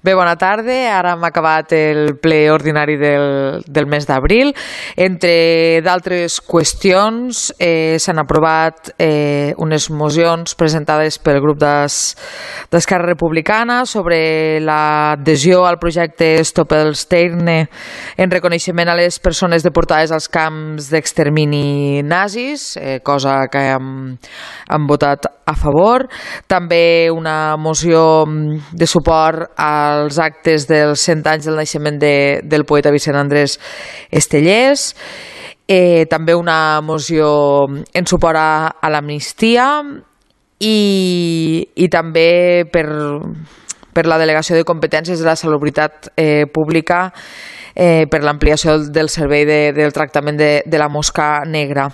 Bé, bona tarda. Ara hem acabat el ple ordinari del mes d'abril. Entre d'altres qüestions, s'han aprovat unes mocions presentades pel grup d'Esquerra Republicana sobre l'adhesió al projecte Stop els Terne en reconeixement a les persones deportades als camps d'extermini nazis, cosa que hem votat a favor. També una moció de suport als actes dels 100 anys del naixement del poeta Vicent Andrés Estellés. També una moció en suport a l'amnistia i també per la delegació de competències de la salubritat pública per l'ampliació del servei del tractament de la mosca negra.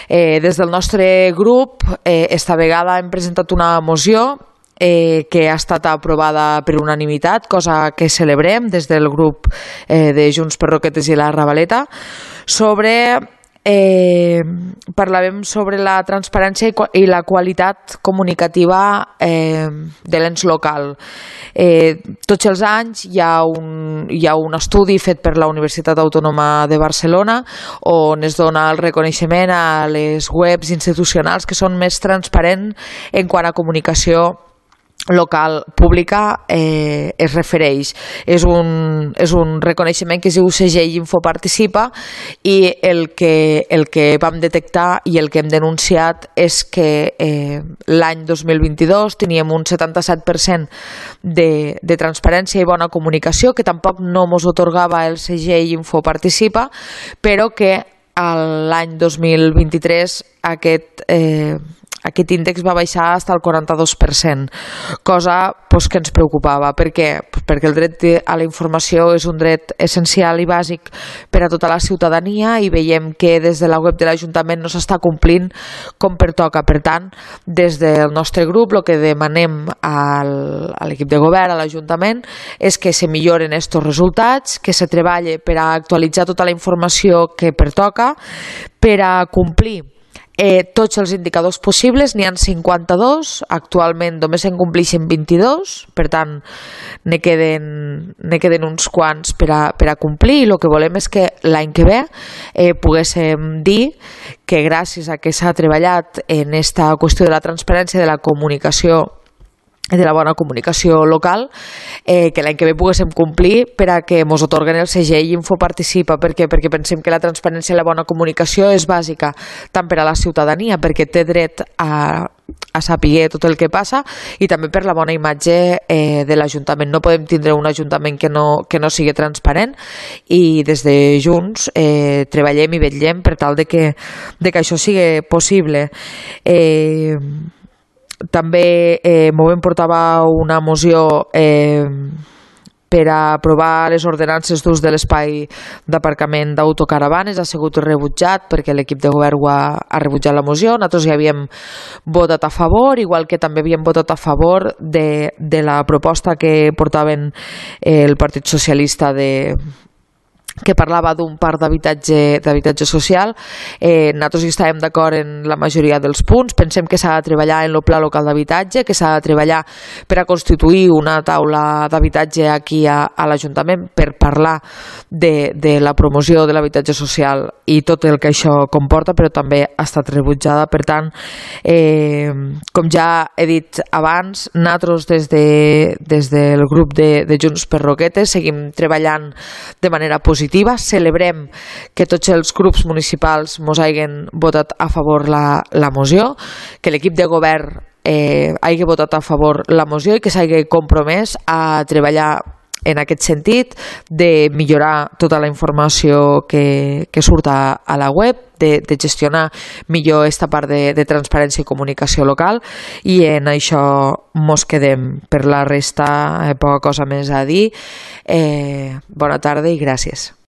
Des del nostre grup, esta vegada hem presentat una moció que ha estat aprovada per unanimitat, cosa que celebrem des del grup de Junts per Roquetes i la Ravaleta. Parlàvem sobre la transparència i la qualitat comunicativa de l'ens local. Tots els anys hi ha un estudi fet per la Universitat Autònoma de Barcelona on es dona el reconeixement a les webs institucionals que són més transparents en quant a comunicació local pública es refereix. És un reconeixement que es diu Segell Infoparticipa i el que vam detectar i el que hem denunciat és que l'any 2022 teníem un 77% de transparència i bona comunicació, que tampoc no ens atorgava el Segell Infoparticipa, però que l'any 2023 aquest índex va baixar fins al 42%, cosa que ens preocupava. Per què? Perquè el dret a la informació és un dret essencial i bàsic per a tota la ciutadania i veiem que des de la web de l'Ajuntament no s'està complint com pertoca. Per tant, des del nostre grup el que demanem a l'equip de govern, a l'Ajuntament, és que se milloren estos resultats, que se treballe per a actualitzar tota la informació que pertoca, per a complir tots els indicadors possibles. N'hi ha 52, actualment només en compleixen 22, per tant ne queden uns quants per a complir, i el que volem és que l'any que ve poguéssim dir que gràcies a que s'ha treballat en esta qüestió de la transparència, de la comunicació, de la bona comunicació local, que l'any que ve poguéssim complir per a que ens atorguen el segell Infoparticipa. Perquè pensem que la transparència i la bona comunicació és bàsica tant per a la ciutadania, perquè té dret a saber tot el que passa, i també per la bona imatge de l'Ajuntament. No podem tindre un Ajuntament que no sigui transparent, i des de Junts treballem i vetllem per tal de que això sigui possible. També Movem portava una moció per a aprovar les ordenances d'ús de l'espai d'aparcament d'autocaravanes. Ha sigut rebutjat perquè l'equip de govern ha rebutjat la moció. Nosaltres hi havíem votat a favor, igual que també havíem votat a favor de la proposta que portaven el Partit Socialista que parlava d'un parc d'habitatge social. Nosaltres hi estàvem d'acord en la majoria dels punts. Pensem que s'ha de treballar en el pla local d'habitatge, que s'ha de treballar per a constituir una taula d'habitatge aquí a l'Ajuntament per parlar de la promoció de l'habitatge social i tot el que això comporta, però també ha estat rebutjada. Per tant, com ja he dit abans, nosaltres des del grup de Junts per Roquetes seguim treballant de manera positiva. Celebrem que tots els grups municipals ens hagin votat a favor la moció, que l'equip de govern hagi votat a favor la moció i que s'hagi compromès a treballar en aquest sentit, de millorar tota la informació que surt a la web, de gestionar millor aquesta part de transparència i comunicació local, i en això mos quedem. Per la resta, poca cosa més a dir. Bona tarda i gràcies.